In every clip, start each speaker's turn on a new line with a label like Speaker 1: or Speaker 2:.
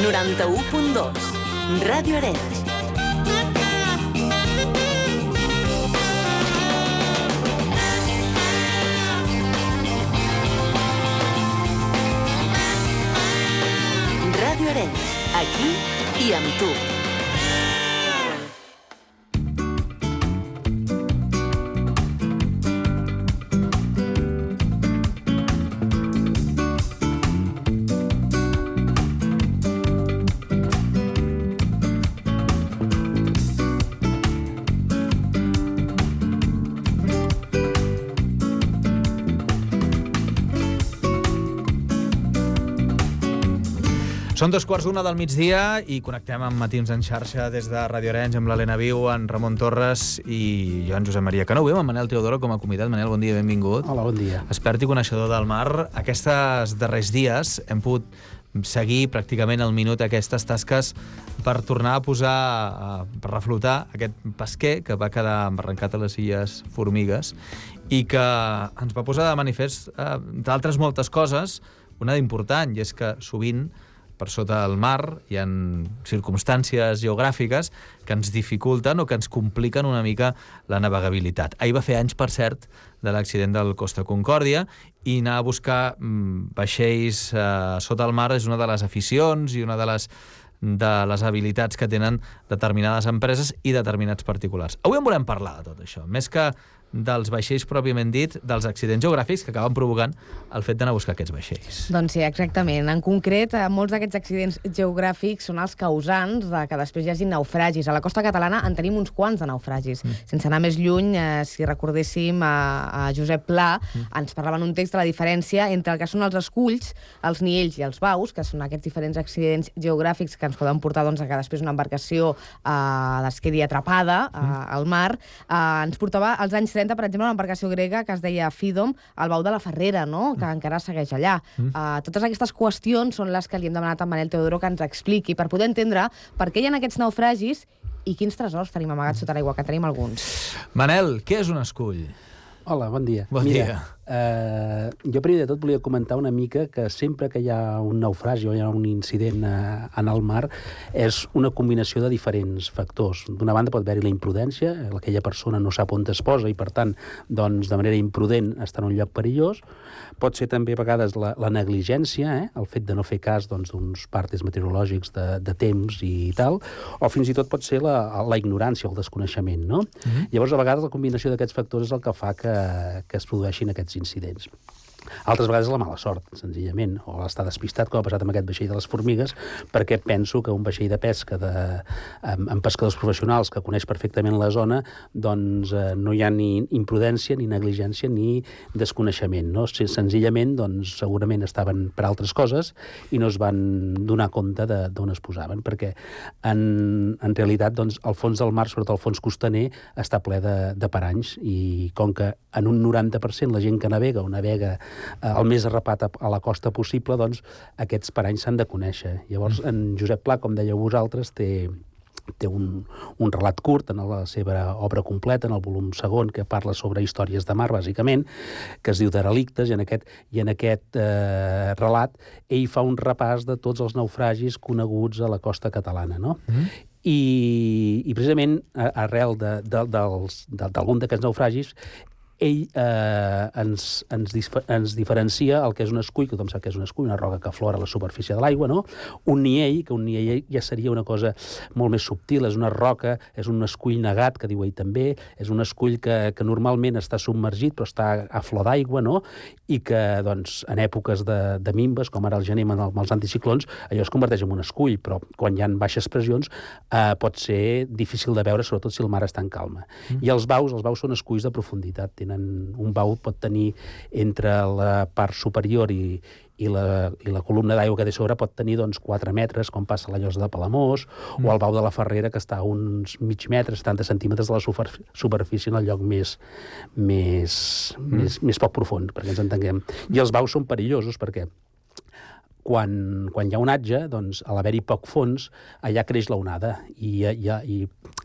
Speaker 1: 91.2. Ràdio Arenys. Ràdio Arenys, aquí i amb tu.
Speaker 2: Són 2:15 del migdia i connectem amb Matins en xarxa des de Ràdio Arenys amb l'Helena Viu, en Ramon Torres i jo, en Josep Maria Cano. Avui amb en Manel Teodoro com a convidat. Manel, bon dia, benvingut.
Speaker 3: Hola, bon dia.
Speaker 2: Expert i coneixedor del mar. Aquests darrers dies hem pogut seguir pràcticament al minut aquestes tasques per tornar a posar, per reflotar aquest pesquer que va quedar embarrancat a les Illes Formigues i que ens va posar de manifest, entre altres moltes coses, una d'important, i és que sovint per sota del mar hi ha circumstàncies geogràfiques que ens dificulten o que ens compliquen una mica la navegabilitat. Ahir va fer anys, per cert, de l'accident del Costa Concòrdia i anar a buscar vaixells sota el mar és una de les aficions i una de les habilitats que tenen determinades empreses i determinats particulars. Avui en volem parlar de tot això, més que dels vaixells pròpiament dit, dels accidents geogràfics que acaben provocant el fet d'anar a buscar aquests vaixells.
Speaker 4: Doncs sí, exactament. En concret, molts d'aquests accidents geogràfics són els causants de que després hi hagi naufragis. A la costa catalana en tenim uns quants de naufragis. Sense anar més lluny, si recordéssim a Josep Pla, ens parlava en un text de la diferència entre el que són els esculls, els niells i els baus, que són aquests diferents accidents geogràfics que ens poden portar a que després una embarcació es quedi atrapada al mar. Ens portava als anys 30, per exemple, una embarcació grega que es deia Fidom, al bau de la Ferrera, no? Que encara segueix allà. Totes aquestes qüestions són les que li hem demanat a Manel Teodoro que ens expliqui per poder entendre per què hi ha aquests naufragis i quins tresors tenim amagats sota l'aigua, que tenim alguns.
Speaker 2: Manel, què és un escull?
Speaker 3: Hola, bon dia.
Speaker 2: Bon dia.
Speaker 3: Jo primer de tot volia comentar una mica que sempre que hi ha un naufragi o hi ha un incident en el mar és una combinació de diferents factors. D'una banda pot haver-hi la imprudència, aquella persona no sap on es posa i per tant doncs, de manera imprudent està en un lloc perillós. Pot ser també a vegades la negligència, el fet de no fer cas d'uns partes meteorològics de temps i tal, o fins i tot pot ser la ignorància o el desconeixement, no? Llavors a vegades la combinació d'aquests factors és el que fa que es produeixin aquests incidents. Altres vegades la mala sort, senzillament, o l'estar despistat, com ha passat amb aquest vaixell de les Formigues, perquè penso que un vaixell de pesca amb pescadors professionals que coneix perfectament la zona, doncs no hi ha ni imprudència, ni negligència, ni desconeixement, no? Senzillament, doncs, segurament estaven per altres coses i no es van donar compte d'on es posaven, perquè en realitat, doncs, el fons del mar, sobretot el fons costaner, està ple de paranys, i com que en un 90% la gent que navega o navega el més arrapat a la costa possible, doncs aquests paranys s'han de conèixer. Llavors, en Josep Pla, com dèieu vosaltres, té un relat curt en la seva obra completa, en el volum segon, que parla sobre històries de mar, bàsicament, que es diu Derelictes, i en aquest relat ell fa un repàs de tots els naufragis coneguts a la costa catalana, no? I precisament arrel d'algun d'aquests naufragis ell ens diferencia el que és un escull, que tothom sap que és un escull, una roca que aflora a la superfície de l'aigua, no? Un niell, que un niell ja seria una cosa molt més subtil, és una roca, és un escull negat, que diu ell també, és un escull que normalment està submergit, però està a flor d'aigua, no? I que, doncs, en èpoques de mimbes, com ara el gener amb els anticiclons, allò es converteix en un escull, però quan hi ha baixes pressions pot ser difícil de veure, sobretot si el mar està en calma. I els baus són esculls de profunditat. Un bau pot tenir entre la part superior i la columna d'aigua que té sobre pot tenir 4 metres, com passa a la Llosa de Palamós, o el bau de la Ferrera, que està a uns mig metres, 70 centímetres de la superfície en el lloc més poc profund, perquè ens entenguem. I els baus són perillosos perquè quan hi ha onatge, doncs, a l'haver-hi poc fons, allà creix l'onada. I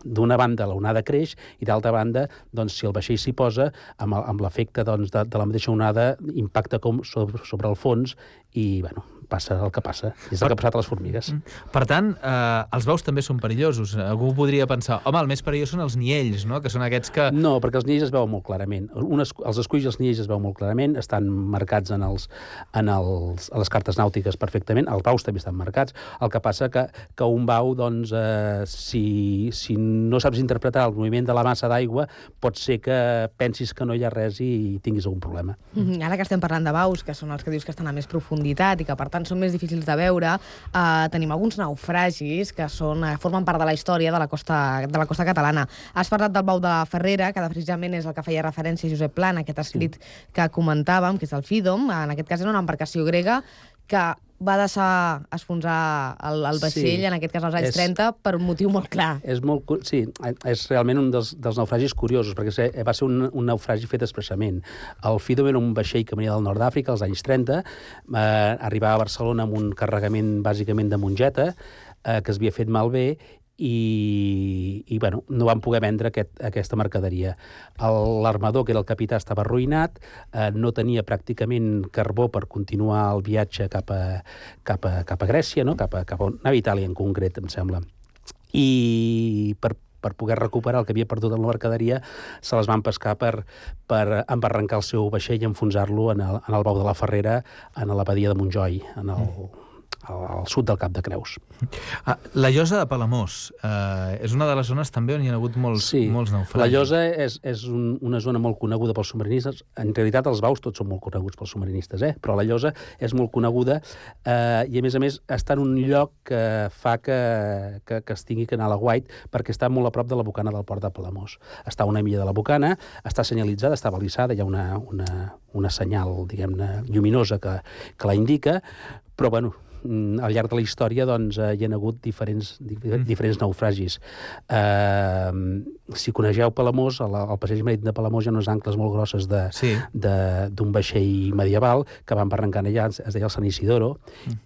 Speaker 3: d'una banda l'onada creix i d'altra banda, doncs, si el vaixell s'hi posa, amb l'efecte de la mateixa onada impacta sobre el fons i, bueno, passa el que passa. És el que ha passat a les formigues.
Speaker 2: Per tant, els baus també són perillosos. Algú podria pensar, home, el més perillós són els niells, no? Que són aquests que...
Speaker 3: No, perquè els niells es veuen molt clarament. Els esculls i els niells es veuen molt clarament, estan marcats a les cartes nàutiques perfectament, els baus també estan marcats. El que passa que un bau, doncs, si no saps interpretar el moviment de la massa d'aigua, pot ser que pensis que no hi ha res i tinguis algun problema.
Speaker 4: Ara que estem parlant de baus, que són els que dius que estan a més profunditat i que, per tant, són més difícils de veure, tenim alguns naufragis que formen part de la història de la costa catalana. Has parlat del bau de la Ferrera, que precisament és el que feia referència Josep Pla en aquest escrit que comentàvem, que és el Fídom. En aquest cas era una embarcació grega que va deixar enfonsar el vaixell, en aquest cas als anys 30, per un motiu molt clar.
Speaker 3: És realment un dels naufragis curiosos, perquè va ser un naufragi fet expressament. El Fídom era un vaixell que venia del nord d'Àfrica als anys 30, arribava a Barcelona amb un carregament bàsicament de mongeta, que es havia fet malbé, i bueno, no van poder vendre aquesta mercaderia. L'armador, que era el capità, estava arruïnat, no tenia pràcticament carbó per continuar el viatge cap a Grècia, no? cap a a Itàlia en concret, em sembla. I per poder recuperar el que havia perdut en la mercaderia, se les van pescar per embarrancar el seu vaixell i enfonsar-lo en el bau de la Ferrera, en la badia de Montjoi, al sud del Cap de Creus.
Speaker 2: La Llosa de Palamós és una de les zones també on hi ha hagut molts naufragis.
Speaker 3: La Llosa és una zona molt coneguda pels submarinistes. En realitat els baus tots són molt coneguts pels submarinistes, però la Llosa és molt coneguda i a més està en un lloc que fa que es tingui que anar a la Guait, perquè està molt a prop de la bocana del port de Palamós. Està a una milla de la bocana, està senyalitzada, està balisada, hi ha una senyal, diguem-ne, lluminosa que la indica, però bueno, al llarg de la història doncs, hi ha hagut diferents naufragis. Si coneixeu Palamós, el passeig marítim de Palamós hi ha unes ancles molt grosses d'un vaixell medieval que van barrancant allà, es deia el Sant Isidoro,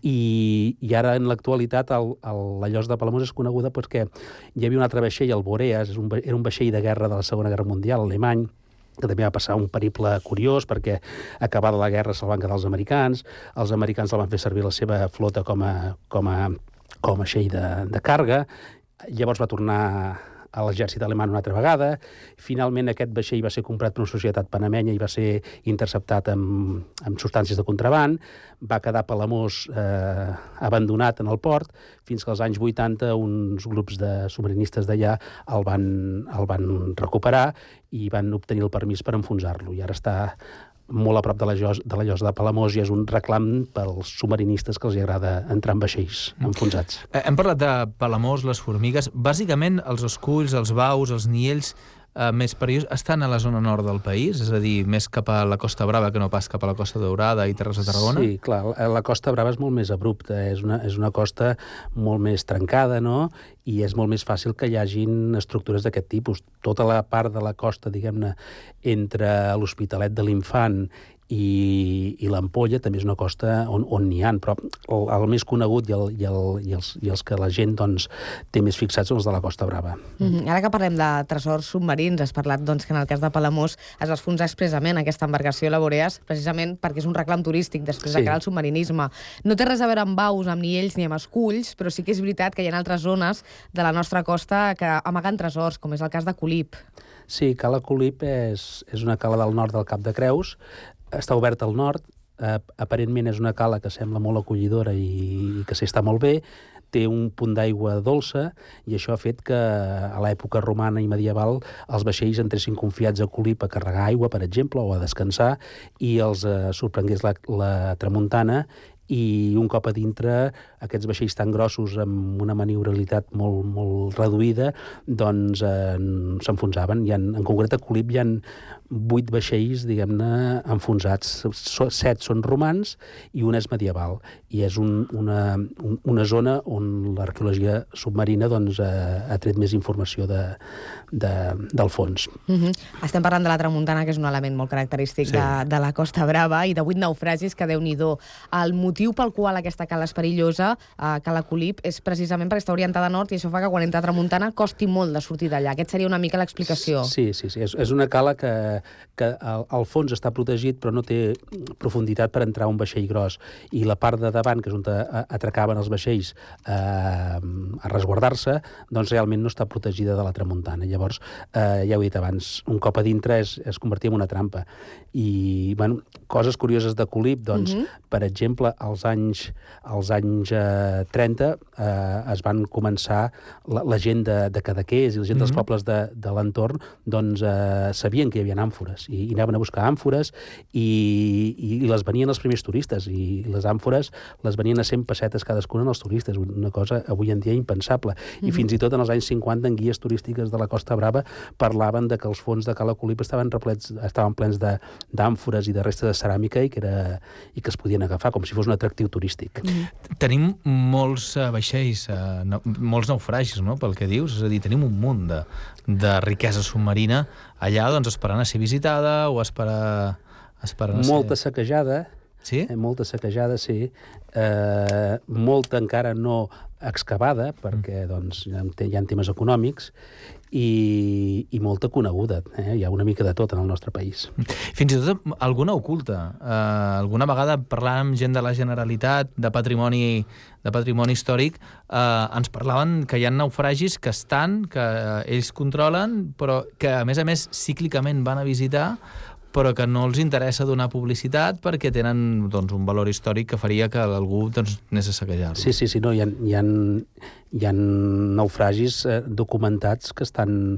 Speaker 3: i ara en l'actualitat la Llosa de Palamós és coneguda perquè hi havia un altre vaixell, el Boreas, era un vaixell de guerra de la Segona Guerra Mundial, alemany, que també va passar un periple curiós perquè acabada la guerra se'l van quedar els americans el van fer servir la seva flota com a vaixell de càrrega, llavors va tornar a l'exèrcit alemany una altra vegada, finalment aquest vaixell va ser comprat per una societat panamenya i va ser interceptat amb substàncies de contraban, va quedar a Palamós abandonat en el port, fins que als anys 80 uns grups de submarinistes d'allà el van recuperar i van obtenir el permís per enfonsar-lo, i ara està molt a prop de la Llosa de Palamós i és un reclam pels submarinistes que els agrada entrar en vaixells enfonsats.
Speaker 2: Hem parlat de Palamós, les formigues. Bàsicament, els esculls, els baus, els niells més perillosos estan a la zona nord del país, és a dir, més cap a la Costa Brava que no pas cap a la Costa Daurada i Terres de Tarragona?
Speaker 3: Sí, clar, la Costa Brava és molt més abrupta, és una costa molt més trencada, no?, i és molt més fàcil que hi hagin estructures d'aquest tipus. Tota la part de la costa, diguem-ne, entre l'Hospitalet de l'Infant i l'Ampolla també és una costa on n'hi ha, però el més conegut i els que la gent doncs, té més fixats són els de la Costa Brava.
Speaker 4: Ara que parlem de tresors submarins, has parlat doncs, que en el cas de Palamós es va enfonsar expressament aquesta embarcació, la Boreas, precisament perquè és un reclam turístic després de crear el submarinisme. No té res a veure amb baus, amb niells ni amb esculls, però sí que és veritat que hi ha altres zones de la nostra costa que amaguen tresors, com és el cas de Colip.
Speaker 3: Sí, Cala Colip és una cala del nord del Cap de Creus, està oberta al nord, aparentment és una cala que sembla molt acollidora i que s'hi està molt bé, té un punt d'aigua dolça i això ha fet que a l'època romana i medieval els vaixells entressin confiats a Colip a carregar aigua, per exemple, o a descansar, i els sorprengués la tramuntana, i un cop a dintre aquests vaixells tan grossos amb una maniobrabilitat molt, molt reduïda doncs s'enfonsaven. En concret a Colip hi ha 8 vaixells, diguem-ne, enfonsats. 7 són romans i un és medieval. I és una zona on l'arqueologia submarina doncs, ha tret més informació del fons.
Speaker 4: Estem parlant de la tramuntana, que és un element molt característic de la Costa Brava, i de 8 naufragis que, Déu-n'hi-do. El motiu motiu pel qual aquesta cala és perillosa, Cala Colip, és precisament perquè està orientada a nord i això fa que quan entra a tramuntana costi molt de sortir d'allà. Aquest seria una mica l'explicació.
Speaker 3: Sí. És una cala que al fons està protegit però no té profunditat per entrar un vaixell gros. I la part de davant, que és on atracaven els vaixells a resguardar-se, doncs realment no està protegida de la tramuntana. Llavors, ja ho he dit abans, un cop a dintre es convertia en una trampa. I, bueno, coses curioses de Colip, doncs, per exemple, als anys 30 es van començar la gent de Cadaqués i la gent dels pobles de l'entorn, doncs sabien que hi havia àmfores i anaven a buscar àmfores i les venien els primers turistes i les àmfores les venien a 100 pessetes cadascuna als turistes, una cosa avui en dia impensable. I fins i tot en els anys 50 en guies turístiques de la Costa Brava parlaven de que els fons de Cala Colip estaven plens d'àmfores i de restes de ceràmica i que es podien agafar com si fos un atractiu turístic.
Speaker 2: Tenim molts vaixells, molts naufragis, no?, pel que dius. És a dir, tenim un munt de riquesa submarina allà, doncs, esperant a ser visitada o esperant a ser...
Speaker 3: Molta saquejada.
Speaker 2: Sí?
Speaker 3: Molta saquejada, sí. Molta encara no excavada, perquè doncs, hi ha temes econòmics, i molta coneguda. Hi ha una mica de tot en el nostre país.
Speaker 2: Fins i tot alguna oculta. Alguna vegada parlant amb gent de la Generalitat, de patrimoni històric, ens parlaven que hi ha naufragis que ells controlen, però que a més cíclicament van a visitar, però que no els interessa donar publicitat perquè tenen, doncs, un valor històric que faria que algú, doncs, anés a saquejar-los.
Speaker 3: Sí, no, hi ha naufragis documentats que estan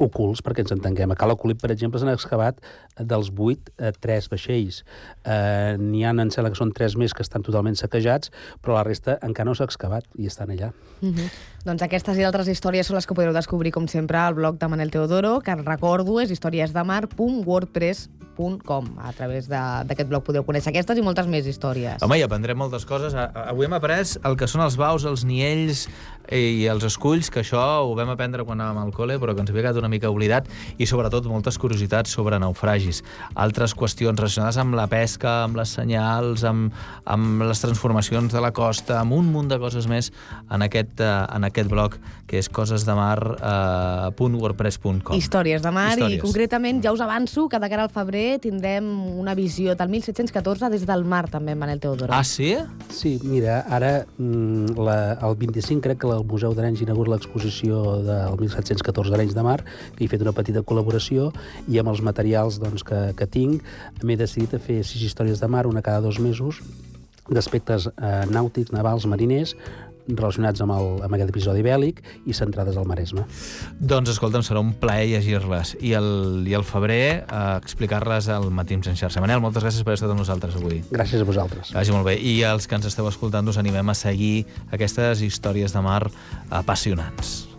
Speaker 3: ocults, perquè ens entenguem. A Cala Colip, per exemple, s'han excavat dels 8 3 vaixells. N'hi ha, em sembla que són 3 més que estan totalment saquejats, però la resta encara no s'ha excavat i estan allà.
Speaker 4: Doncs aquestes i altres històries són les que podreu descobrir, com sempre, al blog de Manel Teodoro, que recordo és historiesdemar.wordpress.com. A través d'aquest blog podeu conèixer aquestes i moltes més històries.
Speaker 2: Home, i aprendrem moltes coses. Avui hem après el que són els baus, els niells i els esculls, que això ho vam aprendre quan anàvem al col·le, però que ens havia quedat una mica oblidat, i sobretot moltes curiositats sobre naufragis. Altres qüestions relacionades amb la pesca, amb les senyals, amb les transformacions de la costa, amb un munt de coses més en aquest blog, que és cosesdemar.wordpress.com.
Speaker 4: Històries de mar, i concretament ja us avanço que de cara al febrer tindrem una visió del 1714 des del mar, també, Manel Teodoro.
Speaker 2: Ah, sí?
Speaker 3: Sí, mira, ara el 25 crec que el Museu d'Arenys inaugura l'exposició del 1714 d'Arenys de Mar, que he fet una petita col·laboració, i amb els materials doncs, que tinc m'he decidit a fer 6 històries de mar, una cada 2 mesos, d'aspectes nàutics, navals, mariners, relacionats amb aquest episodi bèl·lic i centrades al Maresme.
Speaker 2: Doncs, escolta'm, serà un plaer llegir-les. I el febrer explicar-les al Matins en xarxa. Manel, moltes gràcies per haver estat amb nosaltres avui.
Speaker 3: Gràcies a vosaltres.
Speaker 2: Que vagi molt bé. I els que ens esteu escoltant us animem a seguir aquestes històries de mar apassionants.